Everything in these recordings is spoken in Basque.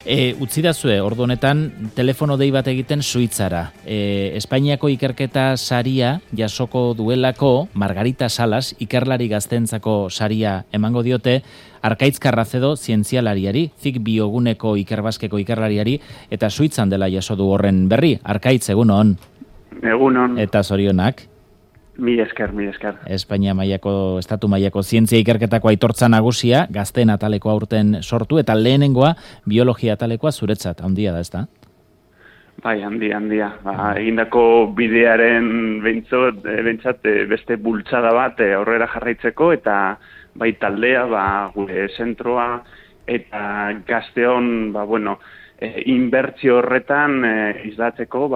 Utzidazue, ordu honetan, telefono dei bat egiten Suitzara. Espainiako ikerketa saria jasoko duelako Margarita Salas, ikerlari gaztentzako saria emango diote, Arkaitz Carracedo zientzialariari, Zik bioguneko ikerbaskeko ikerlariari, eta Suitzan dela jaso du horren berri. Arkaitz, egunon. Egunon. Eta zorionak. Mila esker. Espainia mailako, estatu mailako zientzia ikerketako aitortza nagusia, gazteen ataleko aurten sortu, eta lehenengoa biologia atalekoa zuretzat, handia da, ezta? Bai, handia. Egindako bidearen bentsat beste bultzada bat aurrera jarraitzeko, eta bai taldea, gure zentroa, eta gazteon, inbertsio horretan islatzeko,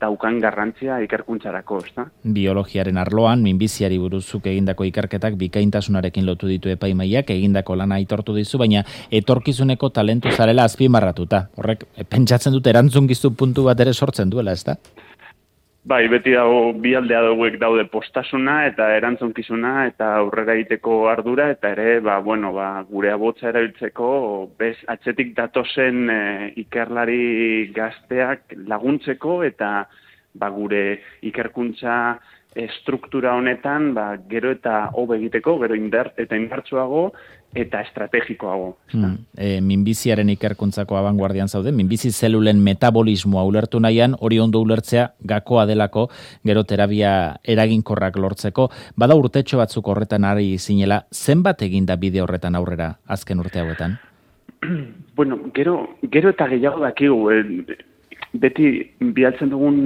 daukan garrantzia ikerkuntzarako, ezta? Biologiaren arloan, minbiziari buruzuk egindako ikerketak bikaintasunarekin lotu ditu epaimaiak, egindako lana aitortu dizu, baina etorkizuneko talentu zarela azpimarratuta. Horrek, pentsatzen dut erantzunkizu puntu bat ere sortzen duela, ezta? Bai, beti dago bi aldea hauek daude postasuna eta erantzunkizuna eta aurrera egiteko ardura eta ere, gure abotza erabiltzeko atzetik datozen ikerlari gazteak laguntzeko eta gure ikerkuntza struktura honetan gero eta hobe egiteko, gero indartsuago eta estrategikoago. Minbiziaren ikerkuntzako abanguardian zaude, minbizi zelulen metabolismoa ulertu nahian, hori ondo ulertzea gakoa delako, gero terapia eraginkorrak lortzeko. Bada urtetxo batzuk horretan ari zinela, zenbat eginda bide horretan aurrera azken urte hauetan? Gero eta gehiago dakigu, beti bialtzen dugun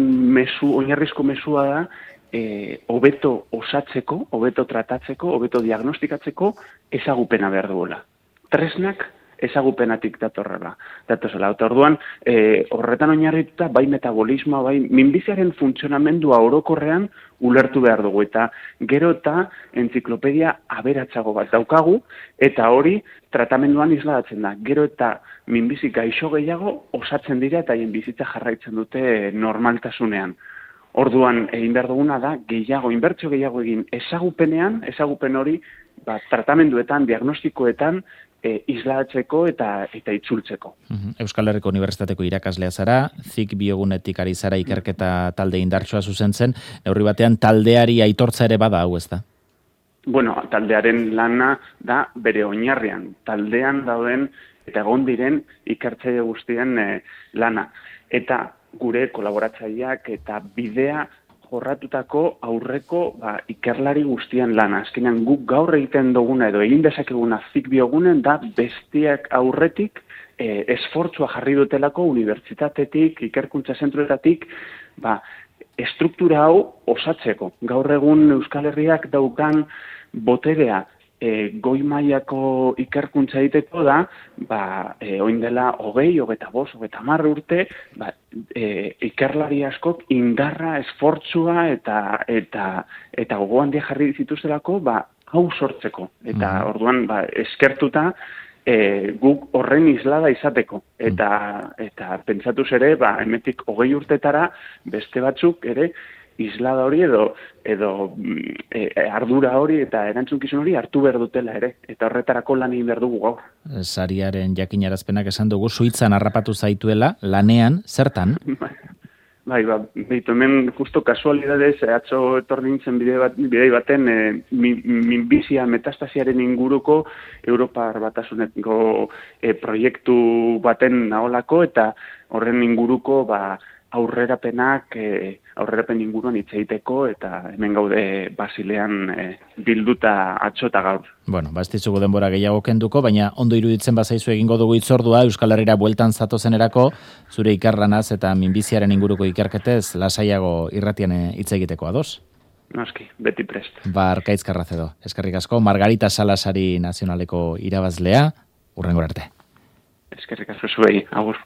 oinarrizko mesua da, hobeto osatzeko, hobeto tratatzeko, hobeto diagnostikatzeko ezagupena behar duela. Tresnak ezagupenatik datozela. Eta orduan, horretan oinarrituta, bai metabolismoa, bai minbiziaren funtzionamendua orokorrean ulertu behar dugu. Eta gero eta entziklopedia aberatsago bat daukagu, eta hori tratamenduan isladatzen da. Gero eta minbizi gaixo gehiago osatzen dira eta haien bizitza jarraitzen dute normaltasunean. Orduan, egin behar duguna da, inbertsio gehiago egin ezagupen hori, tratamenduetan, diagnostikoetan, islatzeko eta itzultzeko. Euskal Herriko Unibertsitateko irakaslea zara, Zik biogunetik ari zara ikerketa talde indartsua zuzentzen, neurri batean taldeari aitortza ere bada hau, ezta? Taldearen lana da bere oinarrian, taldean dauden eta egon diren ikertzaile guztien lana. Eta gure kolaboratzaileak eta bidea jorratutako aurreko ikerlari guztien lana. Azkenean guk gaur egiten duguna edo egin dezakeguna Zik biogunen da bestiak aurretik esfortzua jarri dutelako unibertsitatetik, ikerkuntza zentruetatik, estruktura hau osatzeko. Gaur egun Euskal Herriak daukan boterea goi mailako ikerkuntza egiteko da, oin dela 25, 30 urte, ikerlari askok indarra, esfortzua eta gogo handia jarri zituztelako, hau sortzeko. Eta orduan, eskertuta, guk horren islada izateko. Eta pentsatuz ere, hemetik 20 urtetara, beste batzuk ere, islada hori edo ardura hori eta erantzunkizun hori hartu behar dutela ere. Eta horretarako lan egin behar dugu gaur. Sariaren jakinarazpenak esan dugu, Suitzan harrapatu zaituela, lanean, zertan? Hemen justo kasualidadez, atzo etorri nintzen bidei baten minbizia metastasiaren inguruko Europar Batasuneko proiektu baten naholako eta horren inguruko aurrerapen inguruan hitz egiteko eta hemen gaude Basilean bilduta atzo eta gaur. Ez ditugu denbora gehiago kenduko, baina ondo iruditzen bazaizu egingo dugu hitzordua Euskal Herrira bueltan zatozenerako, zure ikerlanaz eta minbiziaren inguruko ikerketez lasaiago irratian hitz egiteko ados. Noski, beti prest. Arkaitz Carracedo, eskerrik asko, Margarita Salasari nazionaleko irabazlea, hurrengora arte. Eskerrik asko zuei, agur.